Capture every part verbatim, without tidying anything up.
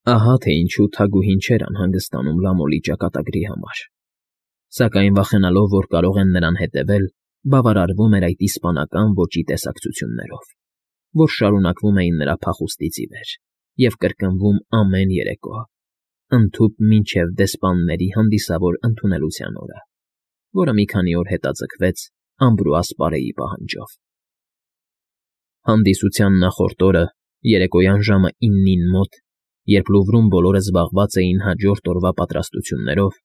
Ահա թե ինչու Թագուհին չէր անհանգստանում Լամոլի ճակատագրի համար, սակայն վախենալով, որ կարող են նրան հետևել, բավարարվում էր այդ իսպանական ոճի տեսակցություններով, որ շարունակվում էին նրա փախուստից ի վեր և կրկնվում ամեն երեկո, ընդհուպ մինչև դեսպանների հանդիսավոր ընդունելության օրը, որը մի քանի օր հետաձգվեց Ամբրուաս պարեի պահանջով։ Հանդիսության նախորդ օրը, երեկոյան ժամը իննին մոտ, երբ Լուվրում բոլորը զբաղված էին հաջորդ օրվա պատրաստություններով,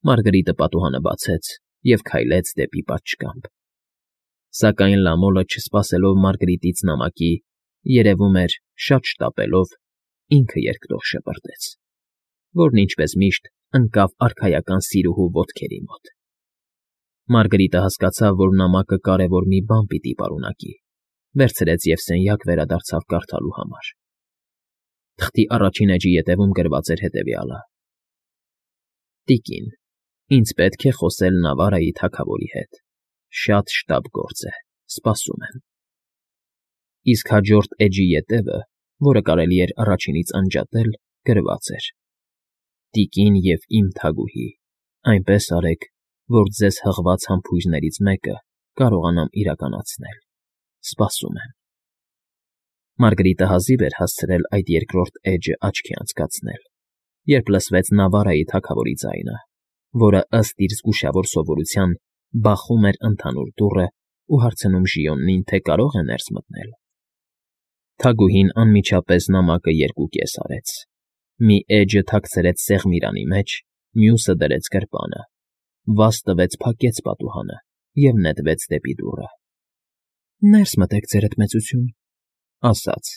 Մարգրիտը պատուհանը բացեց և քայլեց դեպի պատշգամբ։ Սակայն Լամոլը, չսպասելով Մարգրիտից նամակի, երևում էր, շատ շտապելով, ինքը երկտող շպրտեց, որն, ինչպես միշտ, ընկավ արքայական սիրուհու ոտքերի մոտ։ Մարգրիտը հասկացավ, որ նամակը կարևոր մի բան պիտի պարունակի, վերցրեց և սենյակ վերադարձավ կարդալու համար։ Թղթի առաջին էջի ետևում գրված էր հետևյալը. «Տիկին, ինձ պետք է խոսել Նավարայի թագավորի հետ, շատ շտապ գործ է, սպասում եմ»։ Իսկ հաջորդ էջի ետևը, որը կարելի էր առաջինից անջատել, գրված էր. «Տիկին և իմ թագուհի, այնպես արեք, որ ձեզ հղված համբույրներից մեկը կարողանամ իրականացնել, սպասում եմ»։ Մարգրիտը հազիվ էր հասցրել այդ երկրորդ էջը աչքի անցկացնել, երբ լսվեց Նավարայի թագավորի ձայնը, որը, ըստ իր զգուշավոր սովորության, բախում էր ընդհանուր դուռը ու հարցնում Ժիոնին, թե կարո՞ղ է ներս մտնել։ Թագուհին անմիջապես նամակը երկուկես արեց, մի էջը թաքցրեց սեղմիրանի մեջ, մյուսը դրեց գրպանը, վազ տվեց փակեց պատուհանը և նետվեց դեպի դուռը։ ֊ Ներս մտեք, ձերդ մեծություն, ֊ ասաց։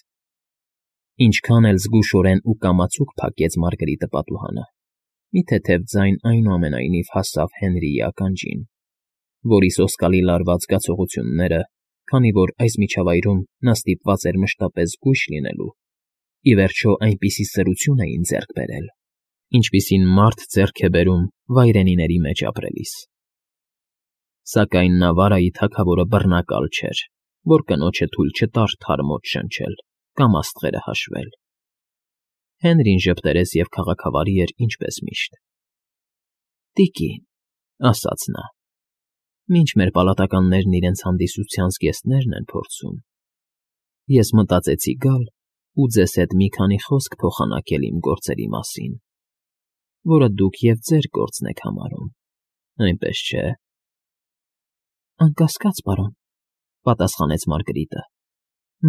Ինչքան էլ զգուշորեն ու կամացուկ փակեց Մարգրիտը պատուհանը, մի թեթև ձայն, այնուամենայնիվ, հասավ Հենրիի ականջին, որի սոսկալի լարված զգացողությունները, քանի որ այս միջավայրում նա ստիպված էր մշտապես զգույշ լինելու, ի վերջո այնպիսի սրություն էին ձեռք բերել, ինչպիսին մարդ ձեռք է բերում վայրենիների մեջ ապրելիս։ Սակայն Նավարայի թագավորը բռնակալ չէր, որ կնոջը թույլ չտար թարմոց շնչել կամ աստղերը հաշվել։ Հենրին ժպտերես և քաղաքավարի էր, ինչպես միշտ։ ֊ Տիկին, ֊ ասաց նա, ֊ մինչ մեր պալատականներն իրենց հանդիսության զգեստներն են փորձում, ես մտածեցի գալ ու ձեզ հետ մի քանի խոսք փոխանակել իմ գործերի մասին, որը դուք և ձեր գործն եք համարում, այնպես չէ՞։ ֊ Անկասկած, պարոն, ֊ պատասխանեց Մարգրիտը։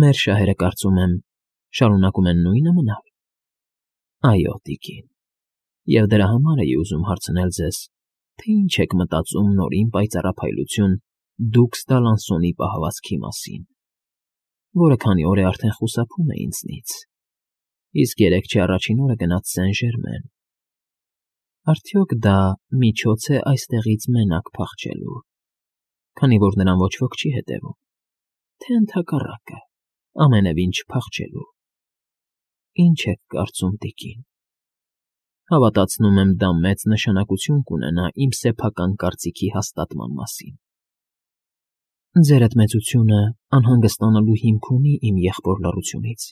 Մեր շահերը, կարծում եմ, շարունակում են նույնը մնալ։ ֊ Այո, տիկին, և դրա համար էի ուզում հարցնել ձեզ, թե ինչ եք մտածում նորին պայծառափայլություն դուքս Դալանսոնի պահվածքի մասին, որը քանի օր է արդեն խուսափում է ինձնից, իսկ երեկ չէ առաջին օրը գնաց Սեն֊Ժերմեն. արդյոք դա միջոց է այստեղից մենակ փախչելու, քանի որ նրան ոչ ոք չի հետևում, թե ընդհակառակը, ամենևին չփախչելու։ Ինչ եք կարծում, տիկին։ Հավատացնում եմ, դա մեծ նշանակություն կունենա իմ սեփական կարծիքի հաստատման մասին։ Ձերդ մեծությունը անհանգստանալու հիմք ունի իմ եղբոր լռությունից։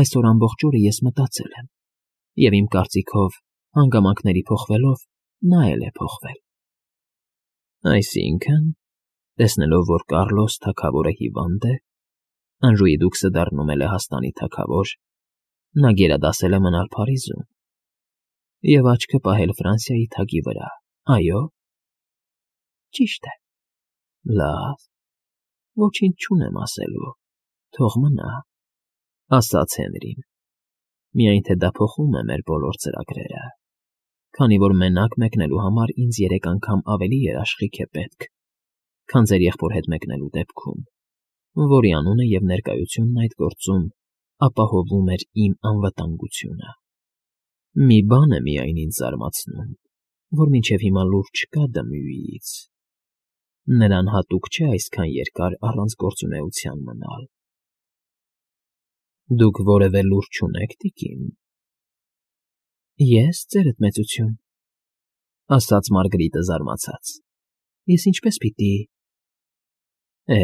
Այսօր ամբողջ օրը ես մտածել եմ, և իմ կարծիքով, հանգամանքների փոխվելով, նա էլ է փոխվել։ Այսինքն, տեսնելով, որ Կառլոս թագավորը հիվանդ է, Անժուի դուքսը դառնում է Լեհաստանի թագավոր, նա գերադասել է մնալ Փարիզում և աչքը պահել Ֆրանսիայի թագի վրա, այո՞։ ֊ Ճիշտ է։ ֊ Լավ, ոչինչ չունեմ ասելու, թող մնա, ֊ ասաց Հենրին։ Միայն թե դա փոխում է մեր բոլոր ծրագրերը, քանի որ մենակ մեկնելու համար ինձ երեք անգամ ավելի երաշխիք է պետք, քան ձեր եղբոր հետ մեկնելու դեպքում, որի անունը և ներկայությունն այդ գործում ապահովում էր իմ անվտանգությունը։ Մի բան է միայն ինձ զարմացնում, որ մինչև հիմա լուր չկա Դմյուիից. նրան հատուկ չէ այսքան երկար առանց գործունեության մնալ։ ֊ Դուք որևէ լուր չունե՞ք, տիկին։ ֊ Ե՞ս, ձերդ մեծություն, ֊ ասաց Մարգրիտը զարմացած։ Ես ինչպես պիտի… Է,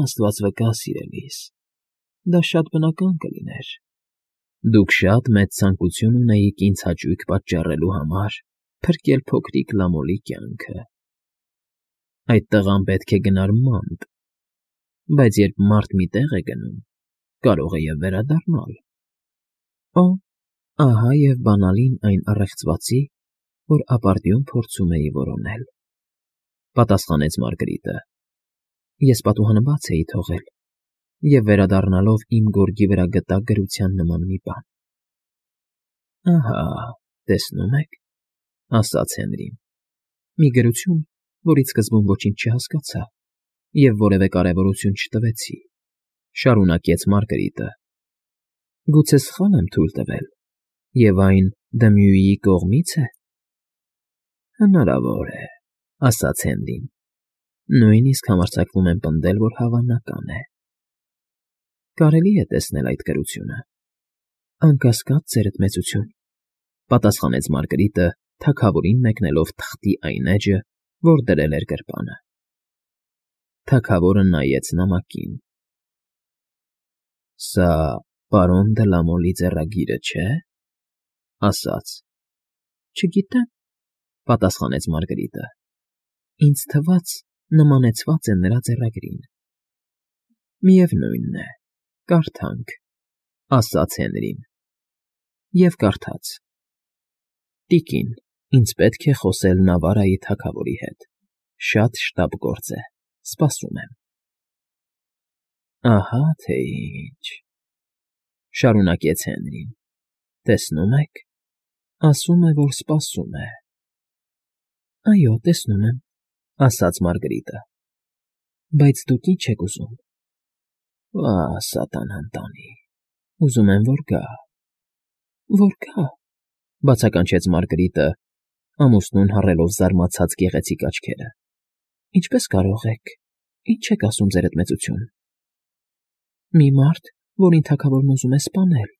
աստված վկա, սիրելիս, դա շատ բնական կլիներ, Դուք շատ մեծ ցանկություն ունեիք ինձ հաճույք պատճառելու համար փրկել փոքրիկ Լամոլի կյանքը. այդ տղան պետք է գնար մանտ, բայց երբ մարդ մի տեղ է գնում, կարող է և վերադառնալ։ Օ, ահա և բանալին այն առեղծվածի, որ ապարդյուն փորձում էի որոնել,֊ պատասխանեց Մարգարիտը։ Ես պատուհանը բաց էի թողել և վերադառնալով իմ գորգի վրա գտա գրության նման մի բան։ Ահա, տեսնում եք,֊ ասաց Հենրին,֊ մի գրություն, որից սկզբում ոչինչ չհասկացա և որևէ կարևորություն չտվեցի,֊ շարունակեց Մարգարիտը։ Գուցե սխալ եմ թույլ տվել, և այն Դմյուիի կողմից է։ Հնարավոր է,֊ ասաց Հենրին,֊ նույնիսկ համարձակվում եմ պնդել, որ հավանական է։ Կարելի է տեսնել այդ գրությունը։ Անկասկած, ձերդ մեծություն,֊ պատասխանեց Մարգարիտը, թագավորին մեկնելով թղթի այն էջը, որ դրել էր գրպանը։ Թագավորը նայեց նամակին։ Սա պարոն Դը Լամոլի ձեռագիրը չէ՞, ասաց։ Չգիտեմ,֊ պատասխանեց Մարգարիտը։ Ինձ թվաց, նմանեցված է նրա ձեռագրին։ Միևնույն է, կարդանք,֊ ասաց Հենրին։ Եվ կարդաց. Տիկին, ինձ պետք է խոսել Նավարայի թագավորի հետ, շատ շտապ գործ է, սպասում եմ։ Ահա թե ինչ,֊ շարունակեց Հենրին,֊ տեսնում եք, ասում է, որ սպասում է։ Այո, տեսնում եմ,֊ ասաց Մարգարիտը։ Բայց դուք ի՞նչ եք ուզում։ Վա, սատանա ընտանի, ուզում եմ, որ գա։ Որ գա,֊ բացականչեց Մարգարիտը, ամուսնուն հառելով զարմացած գեղեցիկ աչքերը։ Ինչպես կարող եք, ի՞նչ եք ասում, ձերդ մեծություն։ Մի մարդ, որին թագավորն ուզում է սպանել,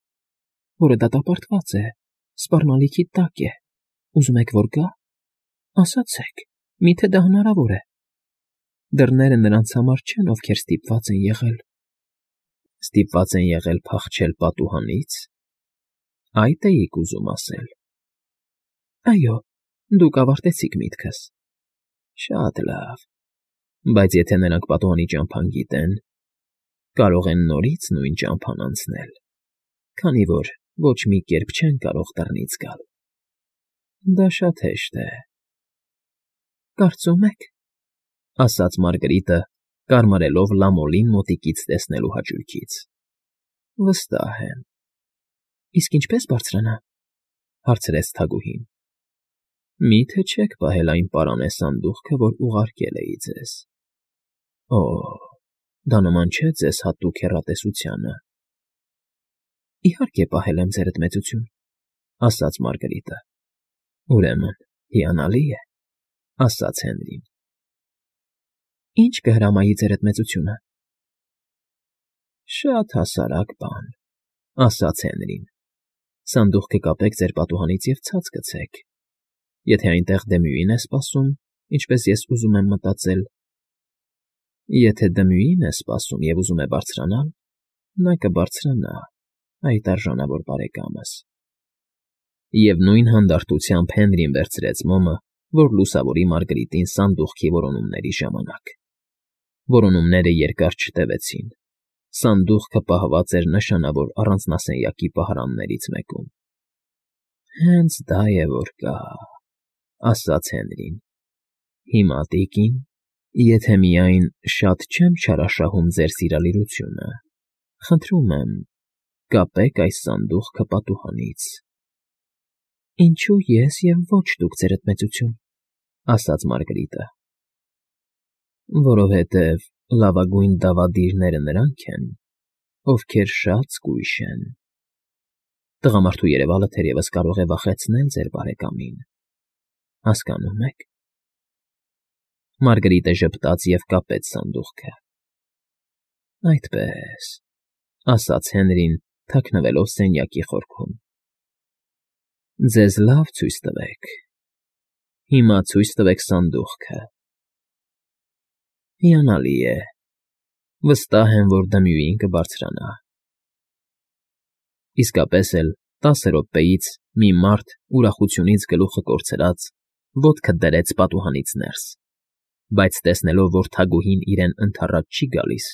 որը դատապարտված է, սպառնալիքի տակ է, ուզում եք, որ գա։ Ասացեք, մի՞թե դա հնարավոր է։ Դռները նրանց համար չեն, ովքեր ստիպված են եղել։ Ստիպված են եղել փախչել պատուհանից, այդ էիք ուզում ասել։ Այո, դուք ավարտեցիք միտքս։ Շատ լավ, բայց եթե նրանք պատուհանի ճամփան գիտեն, կարող են նորից նույն ճամփան անցնել, քանի որ ոչ մի կերպ չեն կարող դռնից գալ։ Դա շատ հեշտ է։ Կարծում եք,֊ ասաց Մարգարիտը, կարմարելով Լամոլին մոտիկից տեսնելու հաճույքից։ Վստահ եմ։ Իսկ ինչպե՞ս բարձրանա,֊ հարցրեց թագուհին։ Մի՞թե չեք պահել այն պարանե սանդուղքը, որ ուղարկել էի ձեզ։ Օ, դա նման չէ ձեզ հատուկ հեռատեսությանը։ Իհարկե պահել եմ, ձերդ մեծություն,֊ ասաց Մարգարիտը։ Ուրեմն հիանալի է,֊ ասաց Հենրին։ Ինչ կհրամայի, ձերդ մեծությունը։ Շատ հասարակ բան,֊ ասաց Հենրին։ Սանդուղքը կապեք ձեր պատուհանից և ցած գցեք։ Եթե այնտեղ Դմյուին է սպասում, ինչպես ես ուզում եմ մտածել… Եթե Դմյուին է սպասում և ուզում է բարձրանալ, նա կբարձրանա, այդ արժանավոր բարեկամս։ Եվ նույն հանդարտությամբ Հենրին վերցրեց մոմը, որ լուսավորի Մարգարիտին սանդուղքի որոնումների ժամանակ։ Որոնումները երկար չտևեցին։ Սանդուղքը պահված էր նշանավոր առանձնասենյակի պահարաններից մեկում։ Հենց դա է, որ կա,֊ ասաց Հենրին։ Հիմա, տիկին, եթե միայն շատ չեմ չարաշահում ձեր սիրալիրությունը, խնդրում եմ, կապեք այս սանդուղքը պատուհանից։ Ինչո՞ւ ես և ոչ դուք, ձերդ մեծություն,֊ ասաց Մարգարիտը։ Որովհետև լավագույն դավադիրները նրանք են, ովքեր շատ զգույշ են։ Տղամարդու երևալը թերևս կարող է վախեցնել ձեր բարեկամին, հասկանո՞ւմ եք։ Մարգարիտը ժպտաց և կապեց սանդուղքը։ Այդպես,֊ ասաց Հենրին, թաքնվելով սենյակի խորքում։ Ձեզ լավ ցույց տվեք։ Հիմա ցույց տվեք սանդուղքը։ Հիանալի է, վստահ եմ, որ Դմյուին կբարձրանա։ Իսկապես էլ տասը րոպեից մի մարդ ուրախությունից գլուխը կորցրած ոտքը դրեց պատուհանից ներս, բայց տեսնելով, որ թագուհին իրեն ընդառաջ չի գալիս,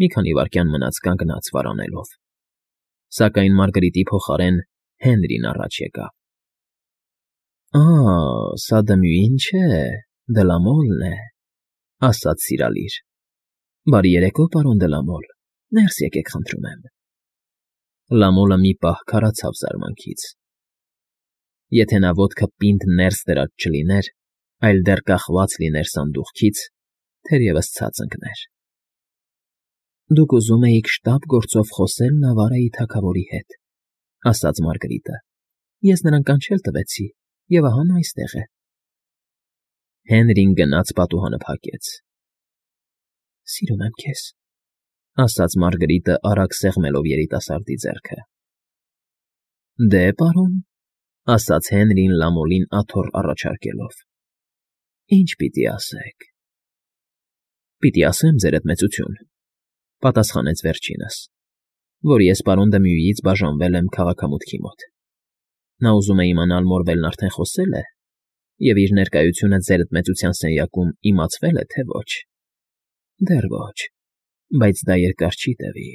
մի քանի վայրկյան մնաց կանգնած վարանելով, սակայն Մարգարիտի փոխարեն Հենրին առաջ եկավ։ ֊ Ա՜, սա Դմյուին չէ, Դլամոլն է,֊ ասաց սիրալիր։ ֊ Բարի երեկո, պարոն Դլամոլ, ներս եկեք, խնդրում եմ։ Լամոլը մի պահ քարացավ զարմանքից. եթե նա ոտքը պինդ ներս դրած չլիներ, այլ դեռ կախված լիներ սանդուղքից, թերևս ցած ընկներ։ ֊ Դուք ուզում էիք շտապ գործով խոսել Նավարայի թագավորի հետ,֊ ասաց Մարգարիտը։ Ես նրան կանչել տվեցի, և ահա նա այստեղ է։ Հենրին գնաց պատուհանը փակեց։ ֊ Սիրում եմ քեզ,֊ ասաց Մարգարիտը արագ սեղմելով երիտասարդի ձեռքը։ ֊ Դե, պարոն,֊ ասաց Հենրին Լամոլին աթոռ առաջարկելով,֊ ի՞նչ պիտի ասեք։ ֊ Պիտի ասեմ, ձերդ մեծություն,֊ պատասխանեց վերջինս,֊ որ ես պարոն Դմյուիից բաժանվել եմ քաղաքամուտքի մոտ։ Նա ուզում է իմանալ Մորվելն արդեն խոսե՞լ է, և իր ներկայությունը ձերդ մեծության սենյակում իմացվե՞լ է, թե ոչ։ ֊ Դեռ ոչ, բայց դա երկար չի տևի,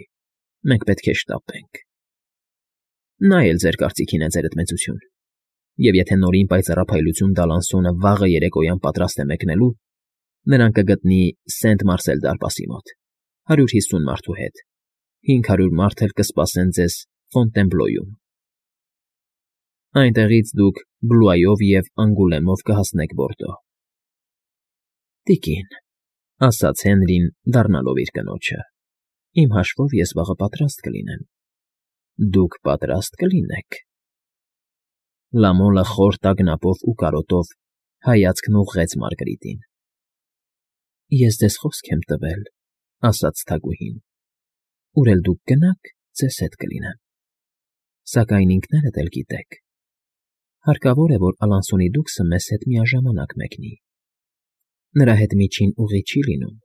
մենք պետք է շտապենք։ ֊ Նա էլ ձեր կարծիքին է, ձերդ մեծություն, և եթե նորին պայծառափայլություն Դալանսոնը վաղը երեկոյան պատրաստ է մեկնելու, նրան կգտնի Սենտ֊Մարսել դարպասի մոտ, հարյուր հիսուն մարդու հետ, հինգ հարյուր մարդ էլ կսպասեն ձեզ Ֆոնտենբլոյում։ Այնտեղից դուք Բլուայով և Անգուլեմով կհասնեք Բորդո։ ֊ Տիկին,֊ ասաց Հենրին, դառնալով իր կնոջը,֊ իմ հաշվով ես վաղը պատրաստ կլինեմ։ ֊ Դուք պատրաստ կլինեք։ Լամոլը խոր տագնապով ու կարոտով հայացքն ուղղեց Մարգարիտին։ ֊ Ես ձեզ խոսք եմ տվել,֊ ասաց թագուհին,֊ ուր էլ դուք գնաք, ձեզ հետ կլինեմ։ Սակայն ինքներդ էլ գիտեք, հարկավոր է, որ Ալանսոնի դուքսը մեզ հետ միաժամանակ մեկնի։ Նրա հետ միջին ուղի չի լինում,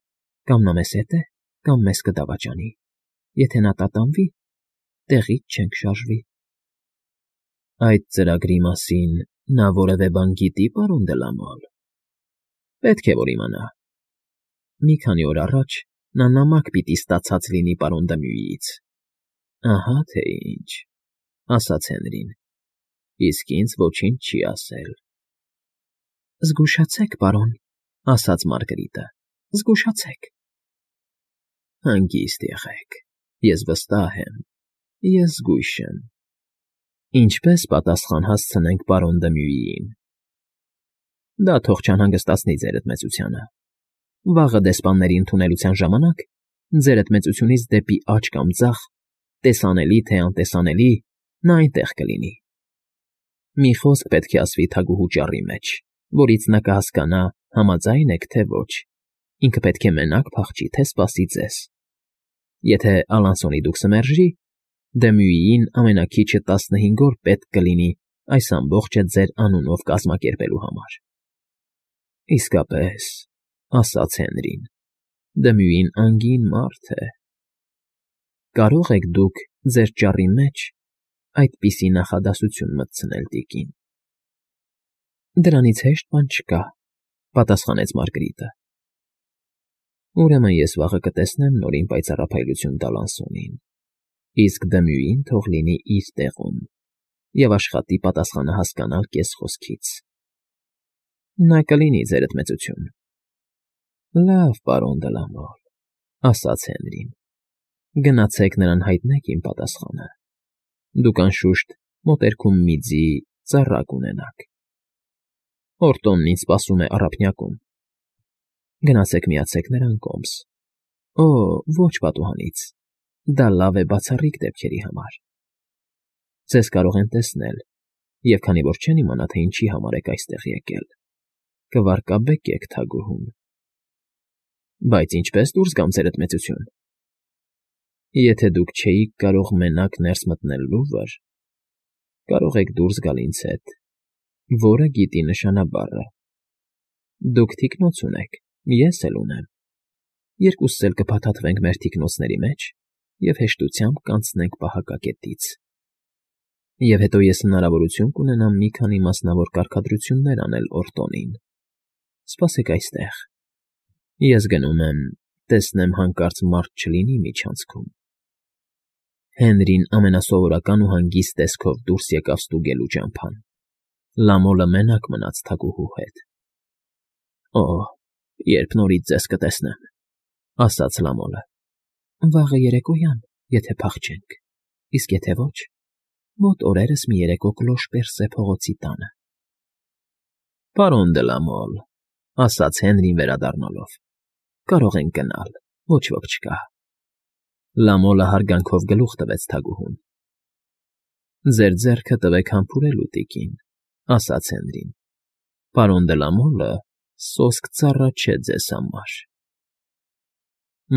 կամ նա մեզ հետ է, կամ մեզ կդավաճանի։ Եթե նա տատանվի, տեղից չենք շարժվի։ ֊ Այդ ծրագրի մասին նա որևէ բան գիտի՞, պարոն Դլամոլ։ ֊ Պետք է որ իմանա։ Մի քանի օր առաջ նա նամակ պիտի ստացած լինի պարոն Դմյուիից։ ֊ Ահա թե ինչ,֊ ասաց Հենրին, իսկ ինձ ոչինչ չի ասել։ ֊ Զգուշացեք, պարոն,֊ ասաց Մարգարիտը,֊ զգուշացեք։ ֊ Հանգիստ եղեք, ես վստահ եմ, ես զգույշ եմ։ Ինչպե՞ս պատասխան հասցնենք պարոն Դմյուիին։ ֊ Դա թող չանհանգստացնի ձերդ մեծությանը։ Վաղը դեսպանների ընդունելության ժամանակ ձերդ մեծությունից դեպի աջ կամ ձախ, տեսանելի թե անտեսանելի, նա այնտեղ կլինի։ Մի խոսք պետք է ասվի թագուհու ճառի մեջ, որից նա կհասկանա՝ համաձա՞յն եք, թե ոչ, ինքը պետք է մենակ փախչի, թե սպասի ձեզ։ Եթե Ալանսոնի դուքսը մերժի, Դմյուիին ամենաքիչը տասնհինգ օր պետք կլինի այս ամբողջը ձեր անունով կազմակերպելու համար։ ֊ Իսկապես,֊ ասաց Հենրին,֊ Դմյուին անգին մարդ է։ Կարո՞ղ եք դուք ձեր ճառի մեջ այդպիսի նախադասություն մտցնել, տիկին։ ֊ Դրանից հեշտ բան չկա,֊ պատասխանեց Մարգարիտը։ ֊ Ուրեմն ես վաղը կտեսնեմ նորին պայծառափայլություն Դալանսոնին, իսկ Դմյուին թող լինի իր տեղում և աշխատի պատասխանը հասկանալ կեսխոսքից։ ֊ Նա կլինի, ձերդ մեծություն։ ֊ Լավ, պարոն Դլամոլ,֊ ասաց Հենրին,֊ գնացեք նրան հայտնեք իմ պատասխանը։ Դուք, անշուշտ, մոտերքում մի ձի ծառա կունենաք։ Օրտոնն ինձ սպասում է առափնյակում։ Գնացեք միացեք նրան կոմս։ Օ, ոչ պատուհանից, դա լավ է բացառիկ դեպքերի համար։ Ձեզ կարող են տեսնել, և քանի որ չեն իմանա, թե ինչի համար եք այստեղ եկել, կվարկաբեկեք թագուհուն։ ֊ Բայց ինչպե՞ս դուրս գամ, ձերդ մեծություն։ ֊ Եթե դուք չէիք կարող մենակ ներս մտնել լուվր, կարող եք դուրս գալ ինձ հետ, որը գիտի նշանաբառը։ Դուք թիկնոց ունեք, ես էլ ունեմ, երկուսս էլ կփաթաթվենք մեր թիկնոցների մեջ և հեշտությամբ կանցնենք պահակակետից։ Եվ հետո ես հնարավորություն կունենամ մի քանի մասնավոր կարգադրություններ անել Օրտոնին։ Սպասեք այստեղ։ Ես գնում եմ, տեսնեմ հանկարծ մարդ չլինի միջանցքում։ Հենրին ամենասովորական ու հանգիստ տեսքով դուրս եկավ ստուգելու ճամփան։ Լամոլը մենակ մնաց թագուհու հետ։ ֊ Օ՜, երբ նորից ձեզ կտեսնեմ,֊ ասաց Լամոլը։ ֊ Վաղը երեկոյան, եթե փախչենք, իսկ եթե ոչ, մոտ օրերս մի երեկո Կլոշպերսե փողոցի տանը։ ֊ Պարոն դե Լամոլ,֊ ասաց Հենրին վերադառնալով,֊ կարող ենք գնալ, ոչ ոք չկա։ Լամոլը հարգանքով գլուխ տվեց թագուհուն։ ֊ Ձեր ձեռքը տվեք համբուրելու, տիկին,֊ ասաց Հենրին։ Պարոն դե Լամոլը սոսկ ծառա չէ ձեզ համար։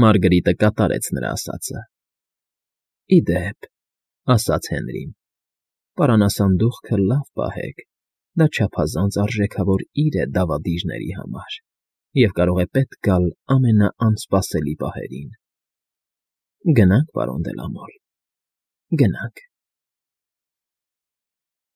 Մարգրիտը կատարեց նրա ասածը։ ֊ Ի դեպ,֊ ասաց Հենրին,֊ պարանասանդուղքը լավ պահեք, դա չափազանց արժեքավոր իրեր է դավադիրների համար և կարող է պետք գալ ամենաանսպասելի պահերին։ Գնա՞նք, պարոն դե Լամոլ, գնանք։